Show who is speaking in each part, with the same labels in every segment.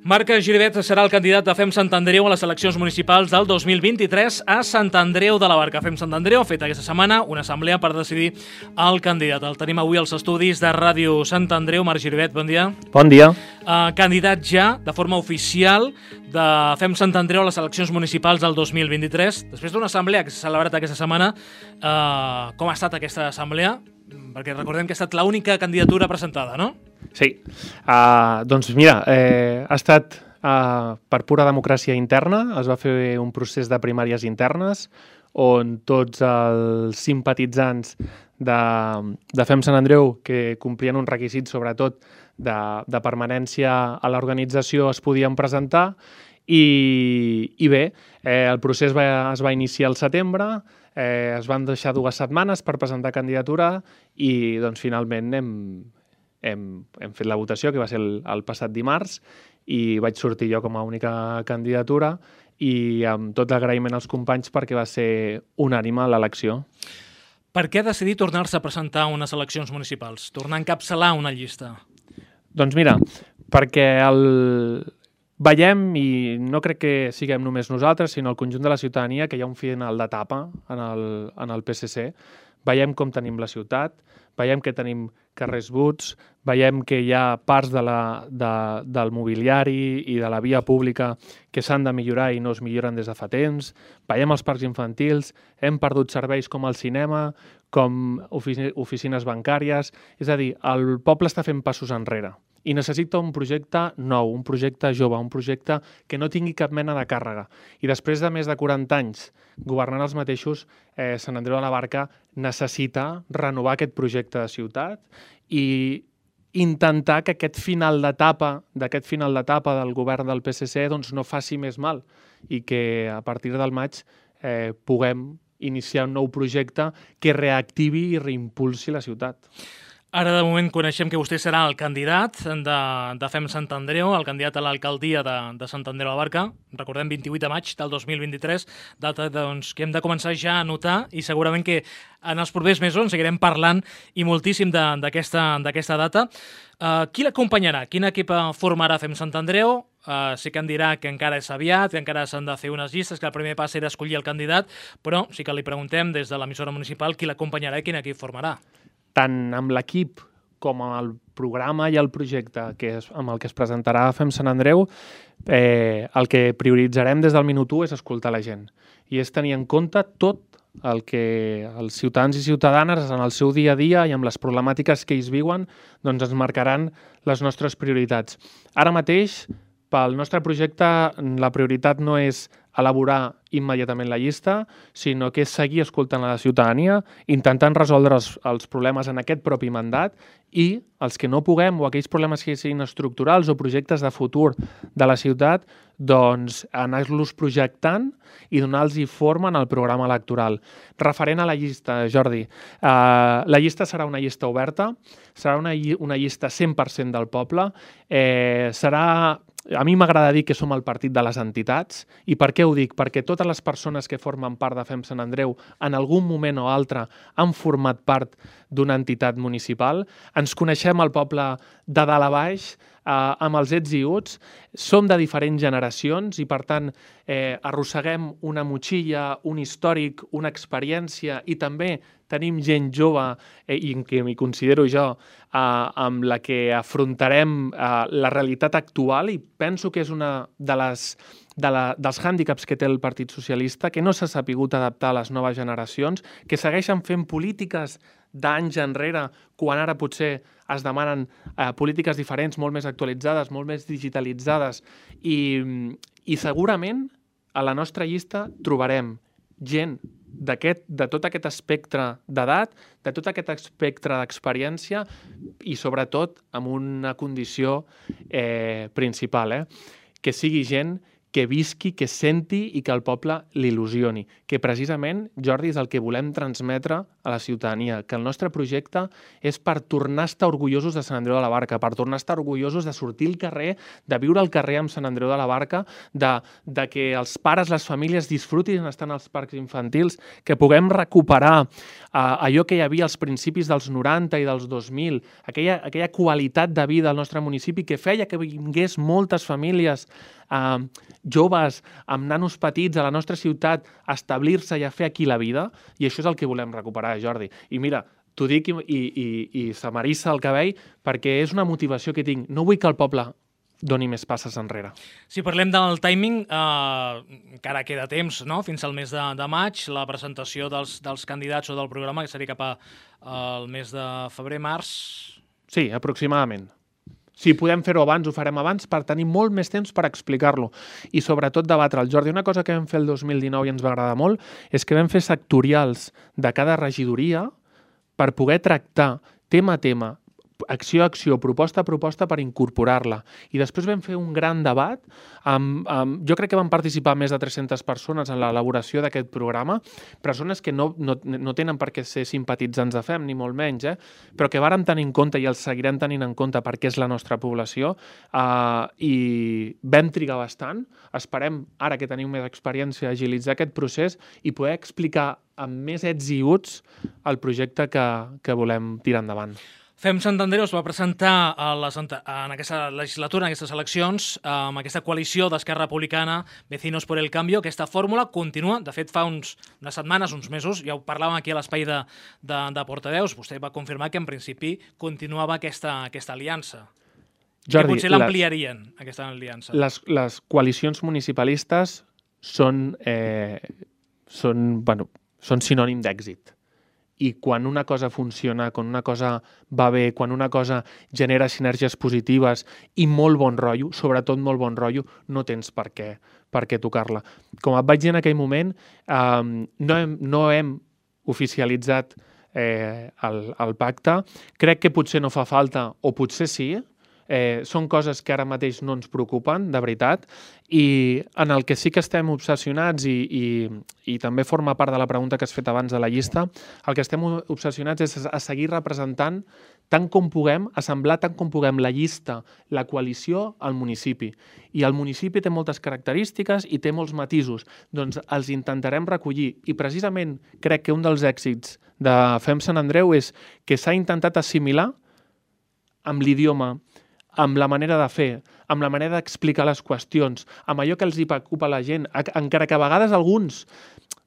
Speaker 1: Marc Giribet serà el candidat de FEM Sant Andreu a les eleccions municipals del 2023 a Sant Andreu de la Barca. FEM Sant Andreu ha fet aquesta setmana una assemblea per decidir el candidat. El tenim avui als estudis de Ràdio Sant Andreu. Marc Giribet, bon dia.
Speaker 2: Bon dia.
Speaker 1: Candidat ja, de forma oficial, de FEM Sant Andreu a les eleccions municipals del 2023. Després d'una assemblea que s'ha celebrat aquesta setmana, com ha estat aquesta assemblea? Perquè recordem que ha estat l'única candidatura presentada, no?
Speaker 2: Sí. Doncs mira, ha estat per pura democràcia interna. Es va fer un procés de primàries internes on tots els simpatitzants de FEM Sant Andreu, que complien uns requisits sobretot de permanència a l'organització, es podien presentar i bé, el procés es va iniciar al setembre, es van deixar 2 setmanes per presentar candidatura i doncs finalment hem fet la votació, que va ser el passat dimarts, i vaig sortir jo com a única candidatura i amb tot l'agraïment als companys perquè va ser unànime l'elecció.
Speaker 1: Per què decidir tornar-se a presentar a unes eleccions municipals? Tornar a encapçalar una llista?
Speaker 2: Doncs mira, perquè veiem, i no crec que siguem només nosaltres, sinó el conjunt de la ciutadania, que hi ha un final d'etapa en el PSC. Veiem com tenim la ciutat, veiem que tenim carrers buits, veiem que hi ha parts del mobiliari i de la via pública que s'han de millorar i no es milloren des de fa temps, veiem els parcs infantils, hem perdut serveis com el cinema, com oficines bancàries, és a dir, el poble està fent passos enrere i necessita un projecte nou, un projecte jove, un projecte que no tingui cap mena de càrrega. I després de més de 40 anys governant els mateixos, Sant Andreu de la Barca necessita renovar aquest projecte de ciutat i intentar que aquest final d'etapa del govern del PSC doncs, no faci més mal i que a partir del maig puguem iniciar un nou projecte que reactivi i reimpulsi la ciutat.
Speaker 1: Ara, de moment, coneixem que vostè serà el candidat de FEM Sant Andreu, el candidat a l'alcaldia de Sant Andreu de la Barca. Recordem, 28 de maig del 2023, data doncs, que hem de començar ja a notar i segurament que en els propers mesos en seguirem parlant i moltíssim d'aquesta data. Qui l'acompanyarà? Quin equip formarà FEM Sant Andreu? Sí que em dirà que encara és aviat, que encara s'han de fer unes llistes, que el primer pas era escollir el candidat, però sí que li preguntem des de l'emissora municipal qui l'acompanyarà i quin equip formarà.
Speaker 2: Tant amb l'equip com amb el programa i el projecte amb el que es presentarà a FEM Sant Andreu, el que prioritzarem des del minut 1 és escoltar la gent i és tenir en compte tot el que els ciutadans i ciutadanes en el seu dia a dia i amb les problemàtiques que ells viuen doncs ens marcaran les nostres prioritats. Ara mateix, pel nostre projecte, la prioritat no és elaborar immediatament la llista, sinó que és seguir escoltant a la ciutadania, intentant resoldre els problemes en aquest propi mandat i els que no puguem o aquells problemes que siguin estructurals o projectes de futur de la ciutat, doncs anar-los projectant i donar-los forma en el programa electoral. Referent a la llista, Jordi, la llista serà una llista oberta, serà una llista 100% del poble, a mi m'agrada dir que som el partit de les entitats. I per què ho dic? Perquè totes les persones que formen part de FEM Sant Andreu en algun moment o altre han format part d'una entitat municipal. Ens coneixem el poble de dalt a baix, amb els ets i uts, som de diferents generacions i, per tant, arrosseguem una motxilla, un històric, una experiència i també tenim gent jove, i que m'hi considero jo, amb la que afrontarem la realitat actual i penso que és una dels hàndicaps que té el Partit Socialista, que no s'ha sapigut adaptar a les noves generacions, que segueixen fent polítiques d'anys enrere, quan ara potser es demanen polítiques diferents, molt més actualitzades, molt més digitalitzades, i segurament a la nostra llista trobarem gent de tot aquest espectre d'edat, de tot aquest espectre d'experiència i sobretot amb una condició principal, que sigui gent que visqui, que senti i que el poble l'il·lusioni. Que precisament, Jordi, és el que volem transmetre a la ciutadania, que el nostre projecte és per tornar a estar orgullosos de Sant Andreu de la Barca, per tornar a estar orgullosos de sortir al carrer, de viure al carrer amb Sant Andreu de la Barca, de que els pares, les famílies disfrutin estant als parcs infantils, que puguem recuperar allò que hi havia als principis dels 90 i dels 2000, aquella qualitat de vida al nostre municipi que feia que vingués moltes famílies joves, amb nanos petits a la nostra ciutat, a establir-se i a fer aquí la vida, i això és el que volem recuperar, Jordi. I mira, t'ho dic i se m'eriça el cabell perquè és una motivació que tinc. No vull que el poble doni més passes enrere.
Speaker 1: Si parlem del timing, encara queda temps, no? Fins al mes de maig, la presentació dels candidats o del programa, que seria cap al mes de febrer-març.
Speaker 2: Sí, aproximadament. Si podem fer-ho abans, ho farem abans per tenir molt més temps per explicar-lo i sobretot debatre'l. Jordi, una cosa que vam fer el 2019 i ens va agradar molt és que vam fer sectorials de cada regidoria per poder tractar tema a tema, acció a acció, proposta a proposta per incorporar-la. I després vam fer un gran debat. Jo crec que van participar més de 300 persones en l'elaboració d'aquest programa, persones que no tenen per què ser simpatitzants de FEM, ni molt menys, però que vàrem tenir en compte i els seguirem tenint en compte perquè és la nostra població, i vam trigar bastant. Esperem, ara que tenim més experiència, agilitzar aquest procés i poder explicar amb més ets i uts el projecte que volem tirar endavant.
Speaker 1: FEM Sant Andreu es va presentar en aquesta legislatura, en aquestes eleccions, amb aquesta coalició d'Esquerra Republicana, Vecinos por el Cambio. Aquesta fórmula continua. De fet, fa unes setmanes, uns mesos, ja ho parlàvem aquí a l'espai de portaveus, vostè va confirmar que en principi continuava aquesta aliança.
Speaker 2: Jordi,
Speaker 1: que potser l'ampliarien, aquesta aliança.
Speaker 2: Les coalicions municipalistes són sinònim d'èxit. I quan una cosa funciona, quan una cosa va bé, quan una cosa genera sinergies positives i molt bon rotllo, sobretot molt bon rotllo, no tens per què tocar-la. Com et vaig dir en aquell moment, no hem oficialitzat el pacte. Crec que potser no fa falta, o potser sí. Són coses que ara mateix no ens preocupen, de veritat, i en el que sí que estem obsessionats, i també forma part de la pregunta que has fet abans de la llista, el que estem obsessionats és a seguir representant tant com puguem, assemblar tant com puguem la llista, la coalició al municipi. I el municipi té moltes característiques i té molts matisos, doncs els intentarem recollir. I precisament crec que un dels èxits de FEM Sant Andreu és que s'ha intentat assimilar amb l'idioma, amb la manera de fer, amb la manera d'explicar les qüestions, amb allò que els hi preocupa a la gent, encara que a vegades alguns,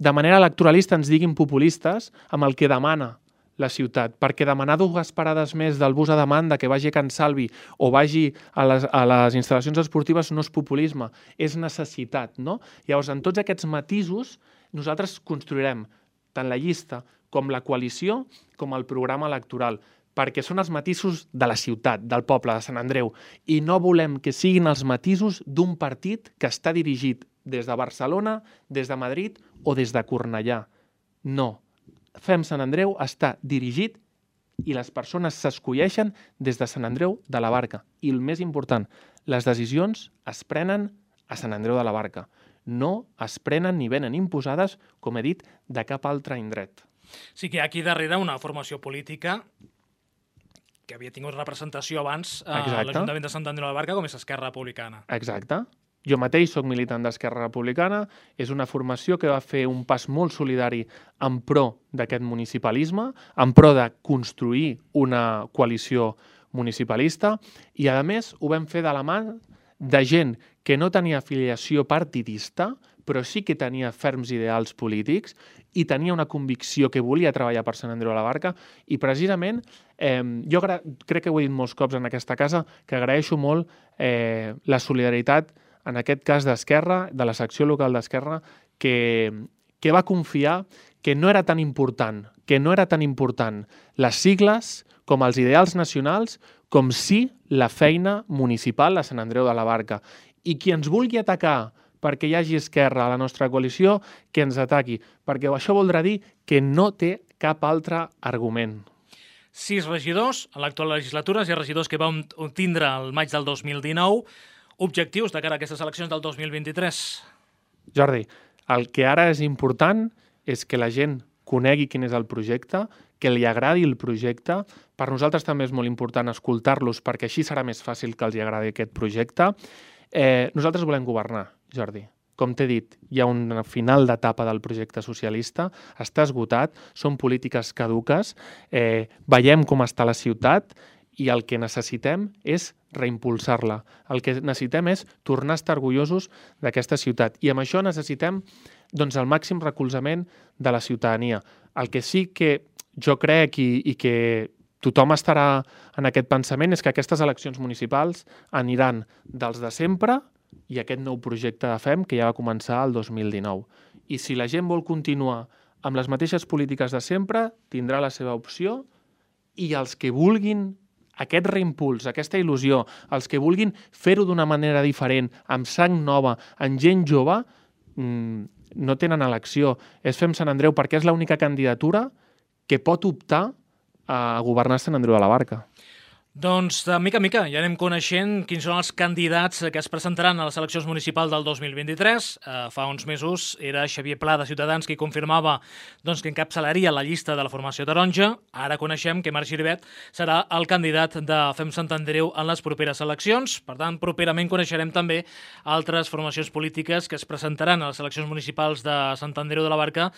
Speaker 2: de manera electoralista, ens diguin populistes, amb el que demana la ciutat, perquè demanar 2 parades més del bus a demanda que vagi a Can Salvi o vagi a les instal·lacions esportives no és populisme, és necessitat, no? Llavors, en tots aquests matisos, nosaltres construirem tant la llista com la coalició com el programa electoral, perquè són els matisos de la ciutat, del poble, de Sant Andreu, i no volem que siguin els matisos d'un partit que està dirigit des de Barcelona, des de Madrid o des de Cornellà. No. FEM Sant Andreu està dirigit i les persones s'escolleixen des de Sant Andreu de la Barca. I el més important, les decisions es prenen a Sant Andreu de la Barca. No es prenen ni venen imposades, com he dit, de cap altre indret.
Speaker 1: Sí que hi ha aquí darrere una formació política que havia tingut representació abans a l'Ajuntament de Sant Andreu de la Barca, com és Esquerra Republicana.
Speaker 2: Exacte. Jo mateix soc militant d'Esquerra Republicana. És una formació que va fer un pas molt solidari en pro d'aquest municipalisme, en pro de construir una coalició municipalista, i a més ho vam fer de la mà de gent que no tenia afiliació partidista, però sí que tenia ferms ideals polítics i tenia una convicció que volia treballar per Sant Andreu de la Barca, i precisament jo crec que ho he dit molts cops en aquesta casa, que agraeixo molt la solidaritat, en aquest cas d'Esquerra, de la secció local d'Esquerra, que va confiar que no era tan important les sigles com els ideals nacionals, com sí la feina municipal a Sant Andreu de la Barca. I qui ens vulgui atacar perquè hi hagi Esquerra a la nostra coalició, que ens ataqui, perquè això voldrà dir que no té cap altre argument.
Speaker 1: 6 regidors, a l'actual legislatura, 6 regidors que vam tindre el maig del 2019, objectius de cara a aquestes eleccions del 2023?
Speaker 2: Jordi, el que ara és important és que la gent conegui quin és el projecte, que li agradi el projecte. Per nosaltres també és molt important escoltar-los perquè així serà més fàcil que els agradi aquest projecte. Nosaltres volem governar, Jordi. Com t'he dit, hi ha un final d'etapa del projecte socialista, està esgotat, són polítiques caduques, veiem com està la ciutat i el que necessitem és reimpulsar-la. El que necessitem és tornar a estar orgullosos d'aquesta ciutat i amb això necessitem doncs, el màxim recolzament de la ciutadania. El que sí que jo crec i que tothom estarà en aquest pensament és que aquestes eleccions municipals aniran dels de sempre i aquest nou projecte de FEM que ja va començar el 2019. I si la gent vol continuar amb les mateixes polítiques de sempre, tindrà la seva opció i els que vulguin aquest reimpuls, aquesta il·lusió, els que vulguin fer-ho d'una manera diferent, amb sang nova, amb gent jove, no tenen elecció. És FEM Sant Andreu perquè és l'única candidatura que pot optar a governar Sant Andreu de la Barca.
Speaker 1: Doncs, de mica en mica, ja anem coneixent quins són els candidats que es presentaran a les eleccions municipals del 2023. Fa uns mesos era Xavier Pla, de Ciutadans, qui confirmava que encapçalaria la llista de la formació taronja. Ara coneixem que Marc Giribet serà el candidat de FEM Sant Andreu en les properes eleccions. Per tant, properament coneixerem també altres formacions polítiques que es presentaran a les eleccions municipals de Sant Andreu de la Barca,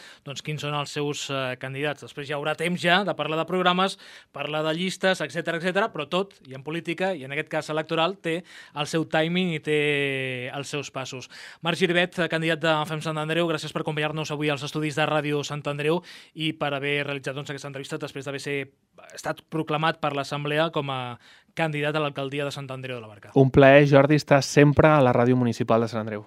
Speaker 1: quins són els seus candidats. Després hi haurà temps ja de parlar de programes, parlar de llistes, etc, però tot, i en política, i en aquest cas electoral, té el seu timing i té els seus passos. Marc Giribet, candidat de FEM Sant Andreu, gràcies per acompanyar-nos avui als estudis de Ràdio Sant Andreu i per haver realitzat aquesta entrevista després d'haver estat proclamat per l'Assemblea com a candidat a l'alcaldia de Sant Andreu de la Barca.
Speaker 2: Un plaer, Jordi, estar sempre a la Ràdio Municipal de Sant Andreu.